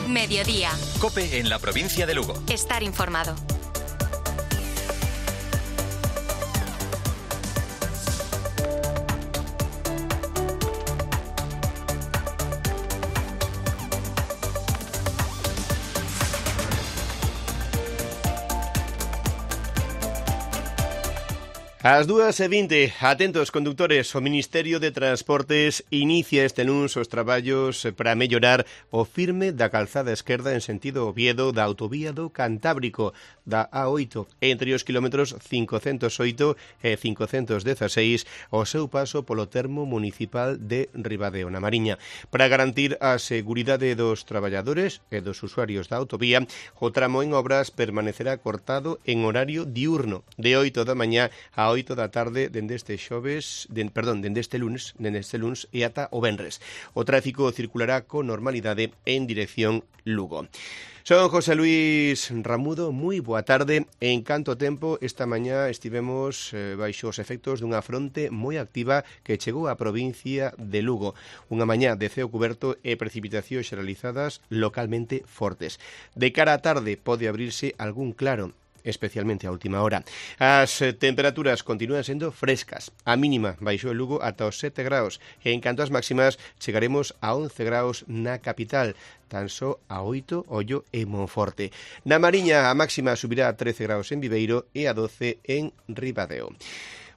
Mediodía. COPE en la provincia de Lugo. Estar informado. Ás 2:20, atentos condutores, o Ministerio de Transportes inicia este luns os traballos para mellorar o firme da calzada esquerda en sentido Oviedo da autovía do Cantábrico, da A8, entre os kilómetros 508 e 516, o seu paso polo termo municipal de Ribadeo, na Mariña. Para garantir a seguridade dos traballadores e dos usuarios da autovía, o tramo en obras permanecerá cortado en horario diurno, de 8 da mañá a 8 da tarde dende este lunes e ata o venres. O tráfico circulará con normalidade en dirección Lugo. Son José Luis Ramudo, moi boa tarde. En canto tempo, esta mañá estivemos baixo os efectos dunha fronte moi activa que chegou á provincia de Lugo. Unha mañá de ceo cuberto e precipitacións xeralizadas localmente fortes. De cara á tarde pode abrirse algún claro, especialmente a última hora. As temperaturas continúan sendo frescas. A mínima baixou en Lugo ata os 7 graus. E en canto ás máximas, chegaremos a 11 graus na capital, tan só a 8 Ollo e Monforte. Na Mariña, a máxima subirá a 13 graus en Viveiro e a 12 en Ribadeo.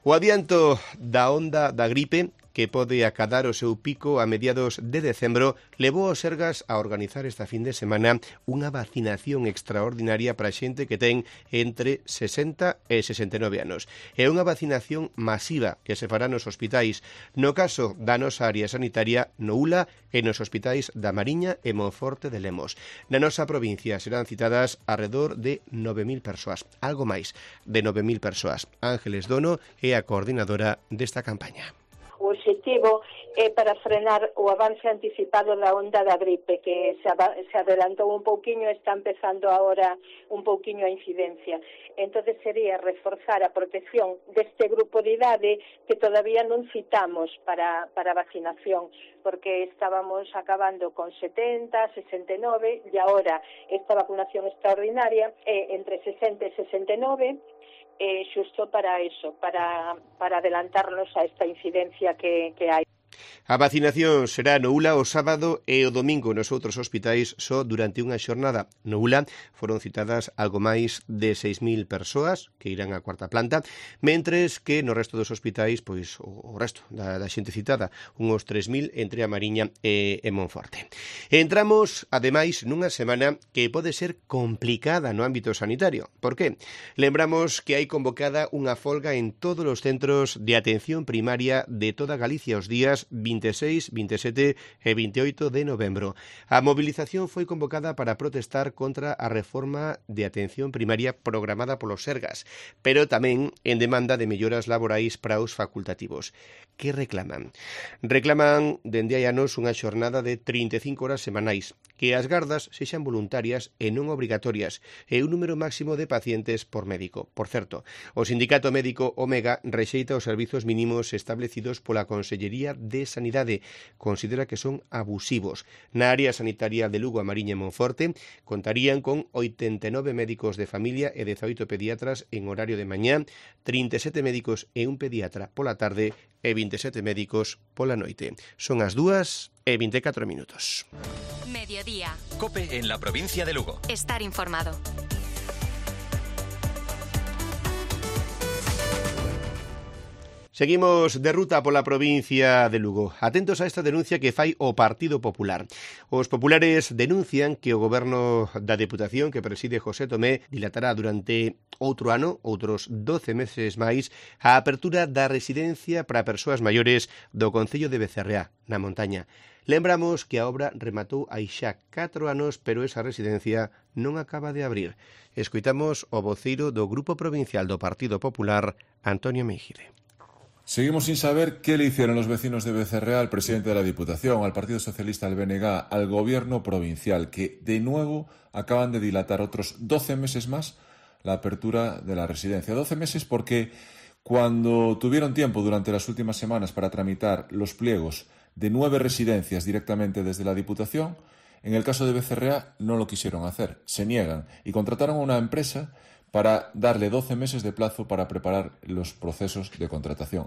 O adianto da onda da gripe, que pode acadar o seu pico a mediados de decembro, levou os Sergas a organizar esta fin de semana unha vacinación extraordinaria para xente que ten entre 60 e 69 anos. É unha vacinación masiva que se fará nos hospitais, no caso da nosa área sanitaria, no ULA e nos hospitais da Mariña e Monforte de Lemos. Na nosa provincia serán citadas alrededor de 9.000 persoas, algo máis de 9.000 persoas. Ángeles Dono é a coordinadora desta campaña. O objetivo é para frenar o avance anticipado da onda da gripe, que se adelantou un pouquiño e está empezando agora un pouquiño a incidencia. Entonces sería reforzar a protección deste grupo de idade que todavía non citamos para vacinación, porque estábamos acabando con 70, 69 e agora esta vacunación extraordinaria é entre 60 e 69, xusto para eso, para adelantarnos a esta incidencia que hai. A vacinación será no ULA o sábado e o domingo nos outros hospitais só durante unha xornada. No ULA foron citadas algo máis de 6.000 persoas que irán á cuarta planta, mentres que no resto dos hospitais, pois o resto da xente citada, uns 3.000 entre a Mariña e Monforte. Entramos, ademais, nunha semana que pode ser complicada no ámbito sanitario. Por qué? Lembramos que hai convocada unha folga en todos os centros de atención primaria de toda Galicia os días 26, 27 e 28 de novembro. A movilización foi convocada para protestar contra a reforma de atención primaria programada polos Sergas, pero tamén en demanda de melloras laborais para os facultativos. Que reclaman? Reclaman dende hai anos unha xornada de 35 horas semanais, que as gardas sexan voluntarias e non obrigatorias, e un número máximo de pacientes por médico. Por certo, o sindicato médico Omega rexeita os servizos mínimos establecidos pola Consellería de Sanidade. Considera que son abusivos. Na área sanitaria de Lugo, a Mariña e Monforte contarían con 89 médicos de familia e 18 pediatras en horario de mañá, 37 médicos e un pediatra pola tarde e 27 médicos pola noite. Son as 2:24. Mediodía. COPE en la provincia de Lugo. Estar informado. Seguimos de ruta pola provincia de Lugo. Atentos a esta denuncia que fai o Partido Popular. Os populares denuncian que o goberno da Deputación que preside José Tomé dilatará durante outro ano, outros 12 meses máis, a apertura da residencia para persoas maiores do concello de Becerreá, na montaña. Lembramos que a obra rematou hai xa 4 anos, pero esa residencia non acaba de abrir. Escoitamos o voceiro do Grupo Provincial do Partido Popular, Antonio Meijide. Seguimos sin saber qué le hicieron los vecinos de Becerreá al presidente de la Diputación, al Partido Socialista, al BNG, al Gobierno provincial, que de nuevo acaban de dilatar otros 12 meses más la apertura de la residencia. 12 meses porque cuando tuvieron tiempo durante las últimas semanas para tramitar los pliegos de 9 residencias directamente desde la Diputación, En el caso de Becerrea no lo quisieron hacer, se niegan y contrataron a una empresa para darle 12 meses de plazo para preparar los procesos de contratación.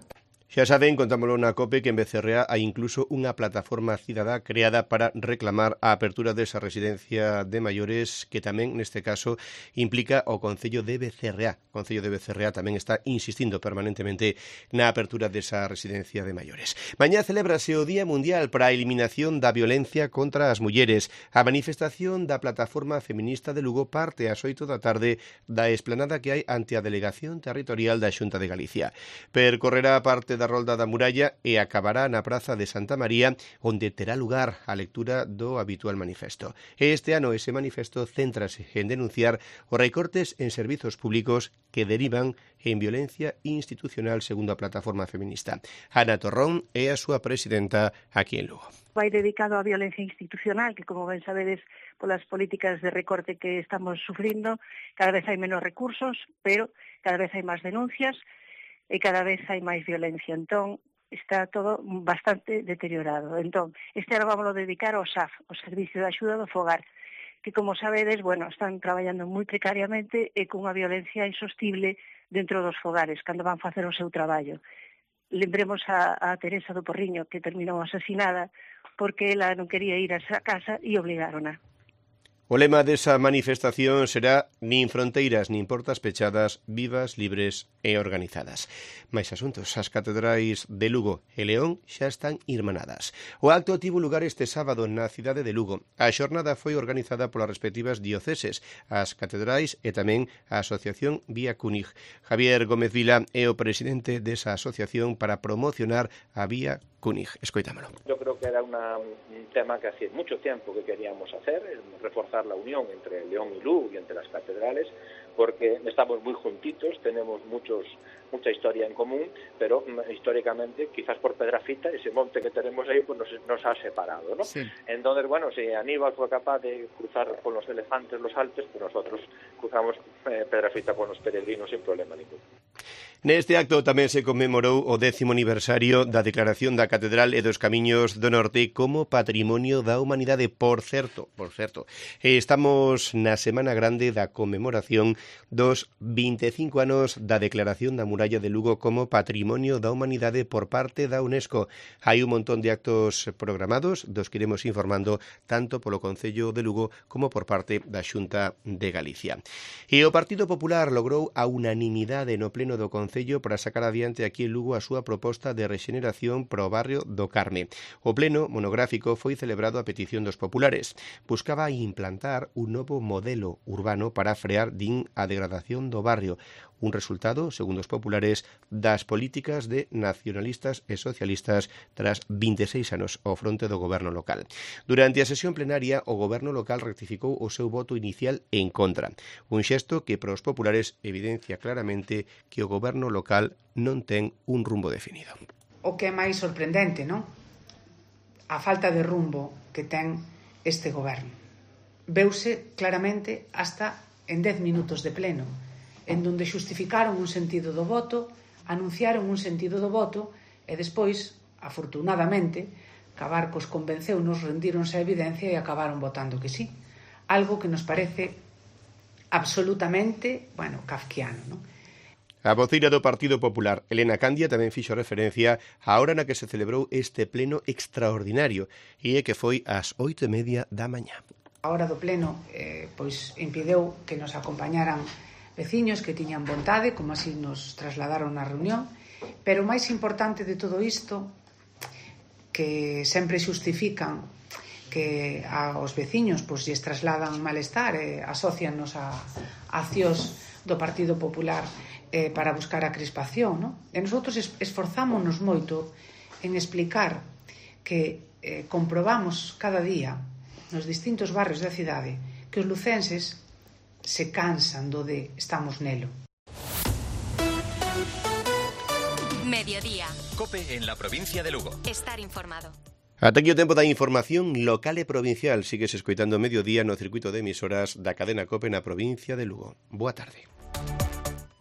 Xa saben, contámoslo na COPE, que en Becerrea hai incluso unha plataforma cidadá creada para reclamar a apertura desa residencia de maiores, que tamén neste caso implica o Concello de Becerrea. O Concello de Becerrea tamén está insistindo permanentemente na apertura desa residencia de maiores. Mañá celébrase o Día Mundial para a Eliminación da Violencia contra as Mulleres. A manifestación da Plataforma Feminista de Lugo parte ás 8 da tarde da esplanada que hai ante a Delegación Territorial da Xunta de Galicia. Percorrerá parte da Rolda da Muralla e acabará na Praza de Santa María, onde terá lugar a lectura do habitual manifesto. Este ano ese manifesto céntrase en denunciar os recortes en servizos públicos que derivan en violencia institucional, segundo a Plataforma Feminista. Ana Torrón é a súa presidenta aquí en Lugo. Vai dedicado á violencia institucional, que, como ben sabedes, polas políticas de recorte que estamos sufrindo, cada vez hai menos recursos, pero cada vez hai máis denuncias e cada vez hai máis violencia. Entón, está todo bastante deteriorado. Entón, este ano vamos a dedicar ao SAF, o Servicio de Axuda do Fogar, que, como sabedes, están traballando moi precariamente e cunha violencia insostible dentro dos fogares, cando van facer o seu traballo. Lembremos a Teresa do Porriño, que terminou asesinada porque ela non quería ir a esa casa e obligarona. O lema desa manifestación será nin fronteiras nin portas pechadas, vivas, libres e organizadas. Mais asuntos, as catedrais de Lugo e León xa están irmanadas. O acto tivo lugar este sábado na cidade de Lugo. A xornada foi organizada polas respectivas dioceses, as catedrais e tamén a asociación Vía Cúnig. Javier Gómez Vila é o presidente desa asociación para promocionar a Vía Cúnig. Escoitámolo. Yo creo que era un tema que hace mucho tiempo que queríamos hacer, reforzar la unión entre León y Lugo y entre las catedrales, porque estamos muy juntitos, tenemos mucha historia en común, pero históricamente, quizás por Pedrafita, ese monte que tenemos ahí, pues nos ha separado, ¿no? Sí. Entonces, si Aníbal fue capaz de cruzar con los elefantes los Alpes, pues nosotros cruzamos Pedrafita con los peregrinos sin problema ninguno. Neste acto tamén se conmemorou o 10º aniversario da declaración da Catedral e dos Camiños do Norte como Patrimonio da Humanidade. Por certo, estamos na Semana Grande da conmemoración dos 25 anos da declaración da Muralla de Lugo como Patrimonio da Humanidade por parte da UNESCO. Hai un montón de actos programados dos que iremos informando tanto polo Concello de Lugo como por parte da Xunta de Galicia. E o Partido Popular logrou a unanimidade no pleno do Concello para sacar adiante aquí en Lugo a súa proposta de rexeneración para o barrio do Carme. O pleno monográfico foi celebrado a petición dos populares. Buscaba implantar un novo modelo urbano para frear a degradación do barrio, un resultado, segundo os populares, das políticas de nacionalistas e socialistas tras 26 anos ao fronte do goberno local. Durante a sesión plenaria, o goberno local rectificou o seu voto inicial en contra, un xesto que para os populares evidencia claramente que o goberno local non ten un rumbo definido. O que é máis sorprendente, non? A falta de rumbo que ten este goberno. Veuse claramente hasta en 10 minutos de pleno, en donde xustificaron un sentido do voto, anunciaron un sentido do voto e despois, afortunadamente, Cabarcos convenceu-nos, rendíronse a evidencia e acabaron votando que sí. Algo que nos parece absolutamente, kafkiano, non? A voceira do Partido Popular, Elena Candia, tamén fixo referencia á hora na que se celebrou este pleno extraordinario e que foi ás 8:30 da mañá. A hora do pleno impideu que nos acompañaran veciños que tiñan vontade, como así nos trasladaron na reunión, pero o máis importante de todo isto, que sempre xustifican que aos veciños lles trasladan malestar e asocianos a accións do Partido Popular para buscar a crispación, non? E nosotros esforzámonos moito en explicar que comprobamos cada día nos distintos barrios da cidade que os lucenses se cansan do de estamos nelo. Mediodía. COPE en la provincia de Lugo. Estar informado. Ata aquí o tempo da información local e provincial. Sigues escoitando Mediodía no circuito de emisoras da cadena COPE na provincia de Lugo. Boa tarde.